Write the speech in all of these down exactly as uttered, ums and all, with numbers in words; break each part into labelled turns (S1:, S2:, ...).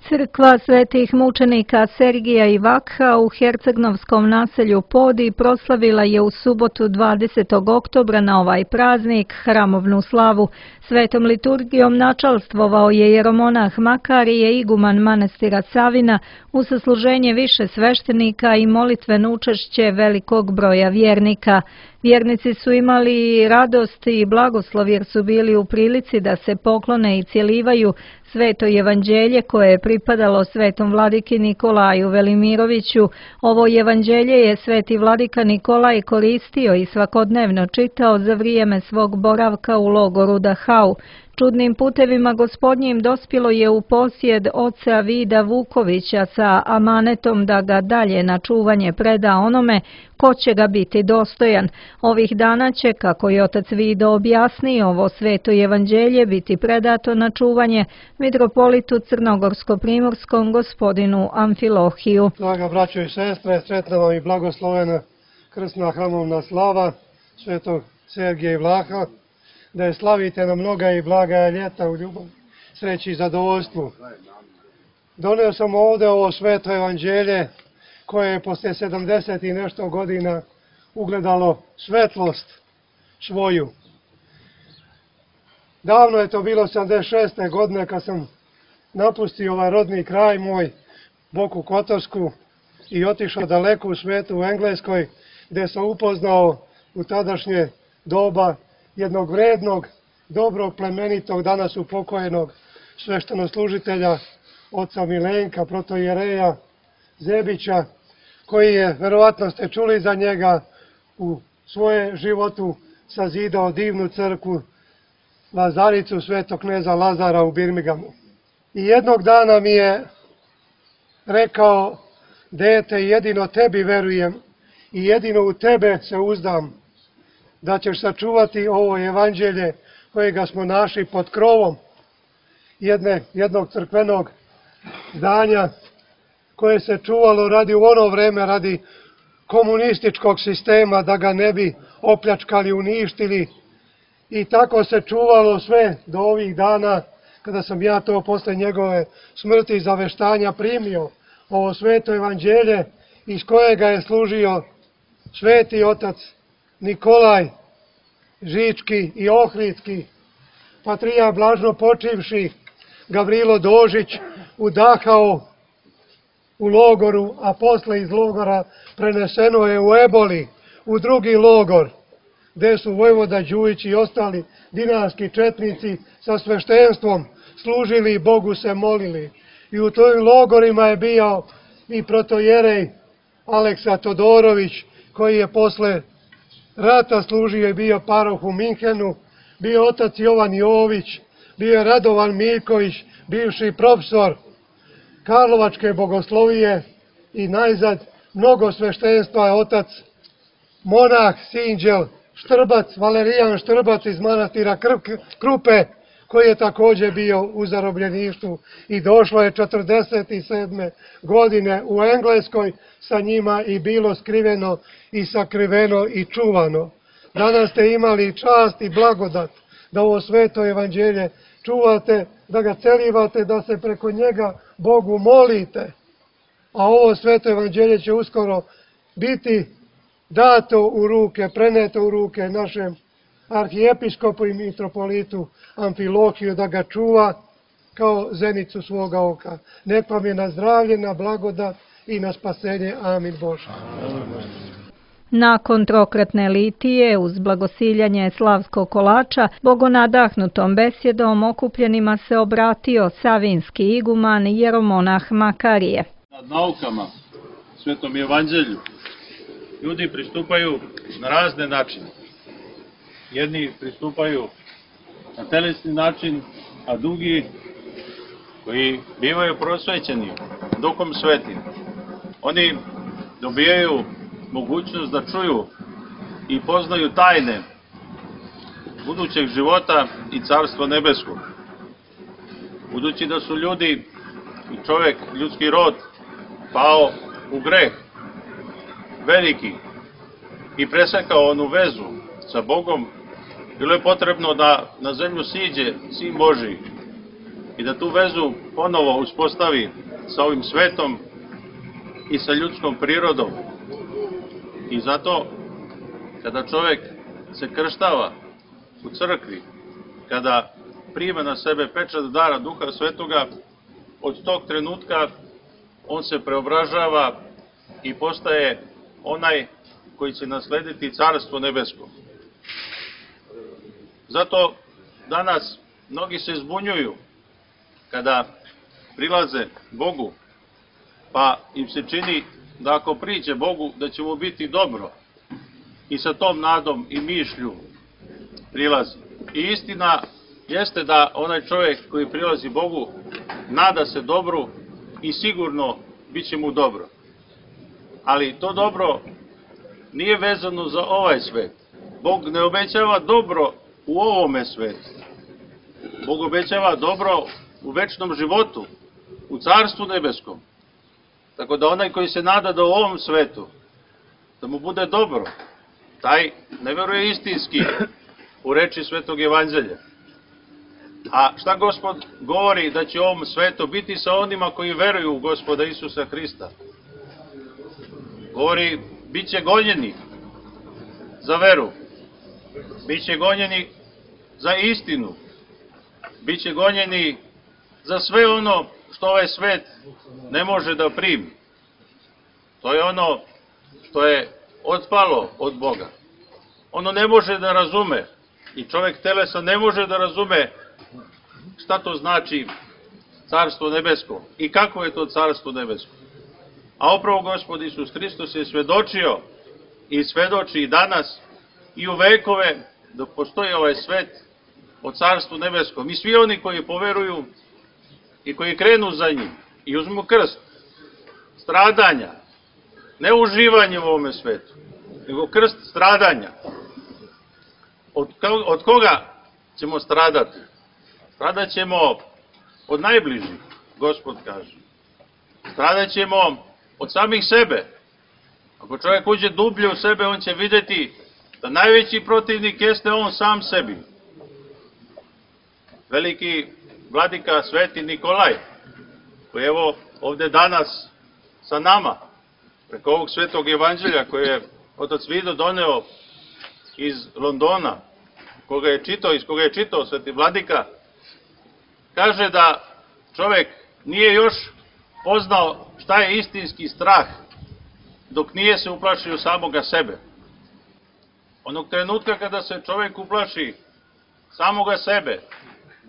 S1: Crkva svetih mučenika Sergija i Vakha u hercegnovskom naselju Podi proslavila je u subotu dvadesetog oktobra na ovaj praznik hramovnu slavu. Svetom liturgijom načalstvovao je jeromonah Makarije, iguman manastira Savina, u sasluženje više sveštenika i molitveno učešće velikog broja vjernika. Vjernici su imali radost i blagoslov jer su bili u prilici da se poklone i cjelivaju sveto evanđelje koje je pripadalo svetom vladiki Nikolaju Velimiroviću. Ovo evanđelje je sveti vladika Nikolaj koristio i svakodnevno čitao za vrijeme svog boravka u logoru Dachau. Čudnim putevima gospodnjim dospjelo je u posjed oca Vida Vukovića sa amanetom da ga dalje na čuvanje preda onome ko će ga biti dostojan. Ovih dana će, kako je otac Vido objasnio, ovo sveto evanđelje biti predato na čuvanje mitropolitu crnogorsko-primorskom gospodinu Amfilohiju.
S2: Draga braćo i sestre, sretna vam i blagoslovena krsna hramovna slava svetog Sergija i Vlaha, da je slavite na mnoga i blaga ljeta u ljubavi, sreći i zadovoljstvu. Doneo sam ovdje ovo sveto evanđelje koje je posle sedamdeset i nešto godina ugledalo svetlost svoju. Davno je to bilo sedamdeset šeste godine kad sam napustio ovaj rodni kraj moj, Boku Kotorsku, i otišao daleko u svetu u Engleskoj, gdje sam upoznao u tadašnje doba jednog vrednog, dobrog, plemenitog, danas upokojenog sveštenoslužitelja, oca Milenka, protojereja Zebića, koji je, verovatno ste čuli za njega, u svoje životu sazidao divnu crkvu Lazaricu svetog kneza Lazara u Birminghamu. I jednog dana mi je rekao: dete, jedino tebi verujem i jedino u tebe se uzdam, da ćeš sačuvati ovo evanđelje kojega smo našli pod krovom jedne, jednog crkvenog zdanja koje se čuvalo radi u ono vreme, radi komunističkog sistema, da ga ne bi opljačkali, uništili. I tako se čuvalo sve do ovih dana, kada sam ja to posle njegove smrti i zaveštanja primio, ovo sveto evanđelje iz kojega je služio sveti otac Nikolaj Žički i Ohridski, patrijarh blažno počivši Gavrilo Dožić u Dachau u logoru, a posle iz logora preneseno je u Eboli, u drugi logor, gdje su vojvoda Đujić i ostali dinarski četnici sa sveštenstvom služili i Bogu se molili. I u tojim logorima je bio i protojerej Aleksa Todorović, koji je posle rata služio i bio paroh u Minhenu, bio otac Jovan Jović, bio je Radovan Miljković, bivši profesor Karlovačke bogoslovije, i najzad mnogo sveštenstva je otac monah Sinđel Štrbac, Valerijan Štrbac iz manastira Krupe, koji je također bio u zarobljeništvu i došlo je četrdeset sedme godine u Engleskoj sa njima i bilo skriveno i sakriveno i čuvano. Danas ste imali čast i blagodat da ovo sveto evanđelje čuvate, da ga celivate, da se preko njega Bogu molite. A ovo sveto evanđelje će uskoro biti dato u ruke, preneto u ruke našem arhijepiskopu i mitropolitu Amfilohiju, da ga čuva kao zenicu svoga oka. Nek vam je na zdravlje, na blagodat i na spasenje. Amin Bože.
S1: Nakon trokratne litije, uz blagosiljanje slavskog kolača, bogonadahnutom besjedom okupljenima se obratio savinski iguman jeromonah Makarije.
S3: Nad naukama, svetom evanđelju, ljudi pristupaju na razne načine. Jedni pristupaju na telesni način, a drugi, koji bivaju prosvećeni Duhom Svetim, oni dobijaju mogućnost da čuju i poznaju tajne budućeg života i carstva nebeskog. Budući da su ljudi i čovjek, ljudski rod, pao u greh veliki i presekao onu vezu sa Bogom, bilo je potrebno da na zemlju siđe Sin Božiji i da tu vezu ponovo uspostavi sa ovim svetom i sa ljudskom prirodom. I zato, kada čovjek se krštava u crkvi, kada prima na sebe pečat dara Duha Svetoga, od tog trenutka on se preobražava i postaje onaj koji će naslediti Carstvo nebesko. Zato danas mnogi se zbunjuju kada prilaze Bogu, pa im se čini da ako priđe Bogu da će mu biti dobro, i sa tom nadom i mišlju prilazi. I istina jeste da onaj čovjek koji prilazi Bogu nada se dobru i sigurno bit će mu dobro. Ali to dobro nije vezano za ovaj svet. Bog ne obećava dobro u ovome svetu. Bog obećava dobro u večnom životu, u Carstvu nebeskom. Tako da onaj koji se nada da u ovom svetu, da mu bude dobro, taj ne veruje istinski u reči Svetog Evanđelja. A šta Gospod govori da će u ovom svetu biti sa onima koji veruju u Gospoda Isusa Hrista? Govori, bit će gonjeni za veru, bit će gonjeni za istinu, bit će gonjeni za sve ono što ovaj svet ne može da primi. To je ono što je otpalo od Boga. Ono ne može da razume, i čovjek telesa ne može da razume šta to znači Carstvo nebesko i kako je to Carstvo nebesko. A upravo Gospod Isus Hristos je svedočio i svedoči i danas i u vekove dok postoji ovaj svet o Carstvu nebeskom. I svi oni koji poveruju i koji krenu za njim i uzmu krst stradanja, ne uživanje u ovome svetu, nego krst stradanja. Od, od koga ćemo stradati? Stradat ćemo od najbližih, Gospod kaže. Stradat ćemo od samih sebe. Ako čovjek uđe dublje u sebe, on će vidjeti da najveći protivnik jeste on sam sebi. Veliki vladika Sveti Nikolaj, koji je evo ovdje danas sa nama, preko ovog Svetog Evanđelja koje je otac Vido doneo iz Londona, koga je čitao, iz koga je čitao Sveti vladika, kaže da čovjek nije još poznao šta je istinski strah dok nije se uplašio samoga sebe. Onog trenutka kada se čovjek uplaši samoga sebe,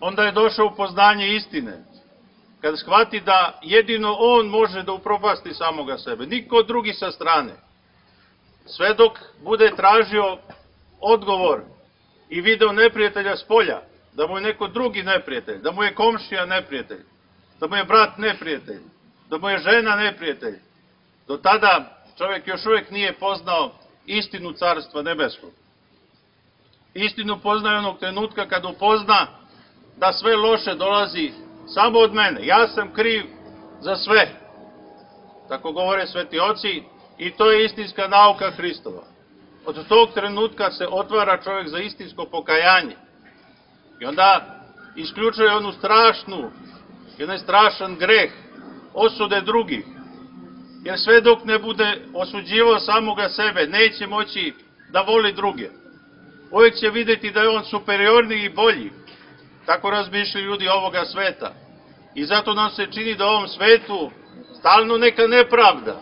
S3: onda je došao u poznanje istine. Kada shvati da jedino on može da upropasti samoga sebe, niko drugi sa strane. Sve dok bude tražio odgovor i video neprijatelja s polja, da mu je neko drugi neprijatelj, da mu je komšija neprijatelj, da mu je brat neprijatelj, da mu je žena neprijatelj, do tada čovjek još uvijek nije poznao istinu Carstva nebeskog. Istinu poznaje onog trenutka kad upozna da sve loše dolazi samo od mene. Ja sam kriv za sve. Tako govore sveti oci i to je istinska nauka Hristova. Od tog trenutka se otvara čovjek za istinsko pokajanje. I onda isključuje onu strašnu, jedan strašan greh, osude drugih. Jer sve dok ne bude osuđivao samoga sebe, neće moći da voli druge. Uvijek će vidjeti da je on superiorniji i bolji. Tako razmišljaju ljudi ovoga sveta. I zato nam se čini da u ovom svetu stalno neka nepravda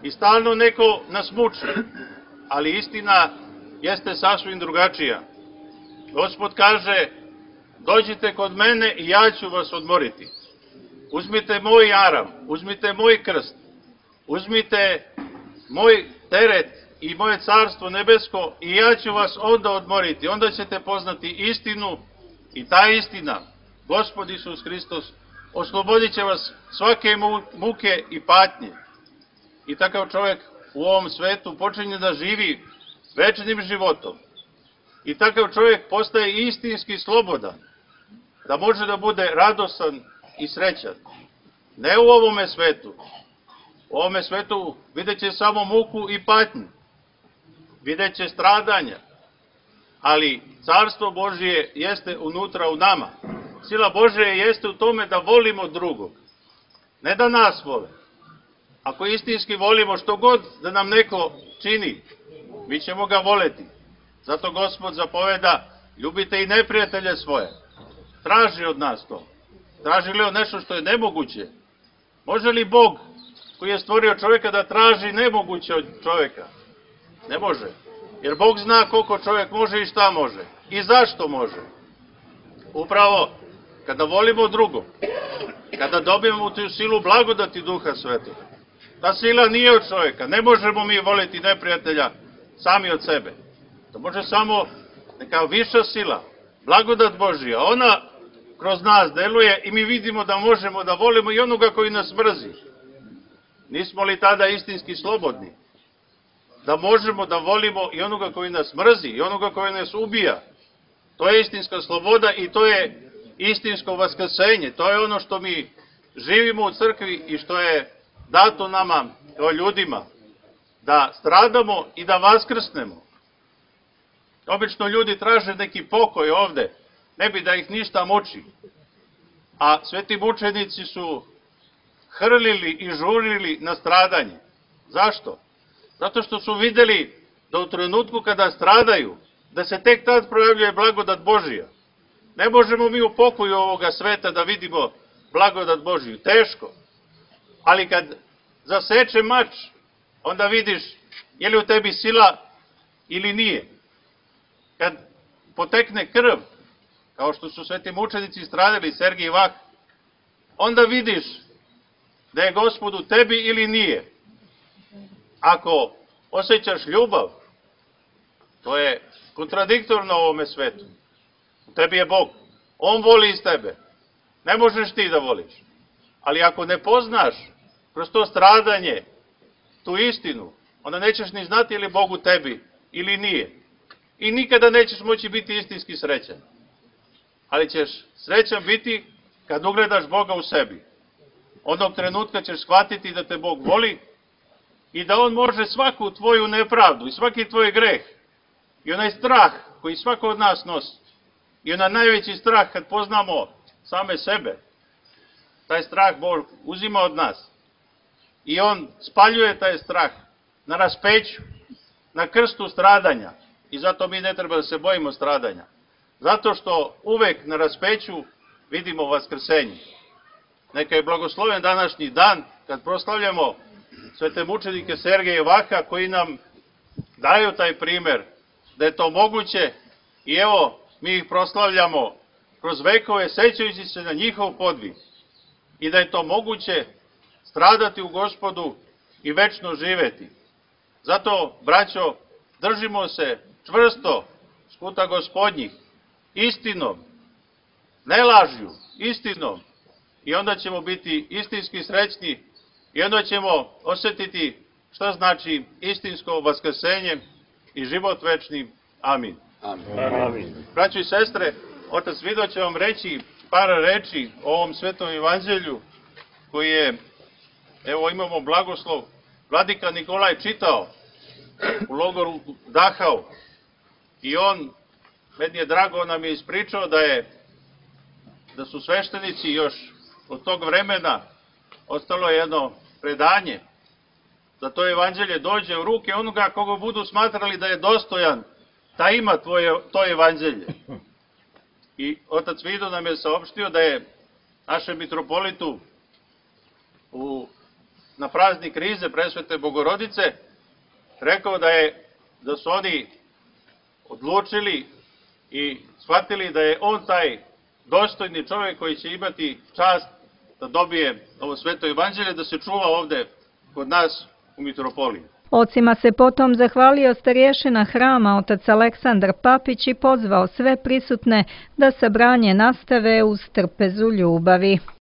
S3: i stalno neko nas muči. Ali istina jeste sasvim drugačija. Gospod kaže, dođite kod mene i ja ću vas odmoriti. Uzmite moj jaram, uzmite moj krst, uzmite moj teret i moje carstvo nebesko i ja ću vas onda odmoriti. Onda ćete poznati istinu i ta istina, Gospod Isus Hristos, oslobodit će vas svake muke i patnje. I takav čovjek u ovom svetu počinje da živi večnim životom. I takav čovjek postaje istinski slobodan, da može da bude radosan i srećan. Ne u ovome svetu. U ovome svetu vidjet će samo muku i patnju. Vidjet će stradanja. Ali Carstvo Božije jeste unutra u nama. sila Božja jeste u tome da volimo drugog. Ne da nas vole. Ako istinski volimo što god da nam neko čini, mi ćemo ga voleti. Zato Gospod zapoveda, ljubite i neprijatelje svoje. Traži od nas to. Traži li on nešto što je nemoguće? Može li Bog koji je stvorio čovjeka da traži nemoguće od čovjeka? Ne može. Jer Bog zna koliko čovjek može i šta može. I zašto može. Upravo kada volimo drugog, kada dobijemo tu silu blagodati Duha Svetog, ta sila nije od čovjeka. Ne možemo mi voliti neprijatelja sami od sebe. To može samo neka viša sila, blagodat Božija. Ona kroz nas deluje i mi vidimo da možemo da volimo i onoga koji nas mrzi. Nismo li tada istinski slobodni? Da možemo da volimo i onoga koji nas mrzi, i onoga koji nas ubija. To je istinska sloboda i to je istinsko vaskrsenje. To je ono što mi živimo u crkvi i što je dato nama kao ljudima. Da stradamo i da vaskrsnemo. Obično ljudi traže neki pokoj ovde, ne bi da ih ništa muči. A sveti mučenici su hrlili i žurili na stradanje. Zašto? Zato što su videli da u trenutku kada stradaju, da se tek tad projavljuje blagodat Božija. Ne možemo mi u pokoju ovoga sveta da vidimo blagodat Božiju. Teško. Ali kad zaseče mač, onda vidiš je li u tebi sila ili nije. Kad potekne krv, kao što su sveti mučenici stradali, Sergij i Vah, onda vidiš da je Gospod u tebi ili nije. Ako osjećaš ljubav, to je kontradiktorno ovome svetu. U tebi je Bog. On voli iz tebe. Ne možeš ti da voliš. Ali ako ne poznaš kroz to stradanje tu istinu, onda nećeš ni znati je li Bog u tebi ili nije. I nikada nećeš moći biti istinski srećan. Ali ćeš srećan biti kad ugledaš Boga u sebi. Onog trenutka ćeš shvatiti da te Bog voli i da On može svaku tvoju nepravdu i svaki tvoj greh i onaj strah koji svako od nas nosi i onaj najveći strah kad poznamo same sebe, taj strah Bog uzima od nas i On spaljuje taj strah na raspeću, na krstu stradanja. I zato mi ne treba da se bojimo stradanja. Zato što uvek na raspeću vidimo vaskrsenje. Neka je blagosloven današnji dan kad proslavljamo svete mučenike Sergeja i Vaha koji nam daju taj primer da je to moguće i evo mi ih proslavljamo kroz vekove sećajući se na njihov podvig i da je to moguće stradati u Gospodu i večno živeti. Zato, braćo, držimo se čvrsto skuta Gospodnjih, istinom, ne lažju, istinom, i onda ćemo biti istinski srećni i onda ćemo osjetiti šta znači istinsko vaskrsenje i život večni. Amin.
S4: Amin.
S3: Braćo i sestre, otac Vido će vam reći par reči o ovom svetom evanđelju koji je, evo imamo blagoslov, vladika Nikolaj čitao u logoru Dachau i on, meni je drago, nam je ispričao da je, da su sveštenici još od tog vremena ostalo jedno predanje, da to evanđelje dođe u ruke onoga koga budu smatrali da je dostojan da ima tvoje, to evanđelje. I otac Vido nam je saopštio da je našem mitropolitu u, na praznik Rize Presvete Bogorodice rekao da je da su oni odlučili i shvatili da je on taj dostojni čovjek koji će imati čast da dobije ovo sveto evanđelje, da se čuva ovde kod nas u mitropoliji.
S1: Ocima se potom zahvalio starješina hrama otac Aleksandar Papić i pozvao sve prisutne da sabranje nastave uz trpezu ljubavi.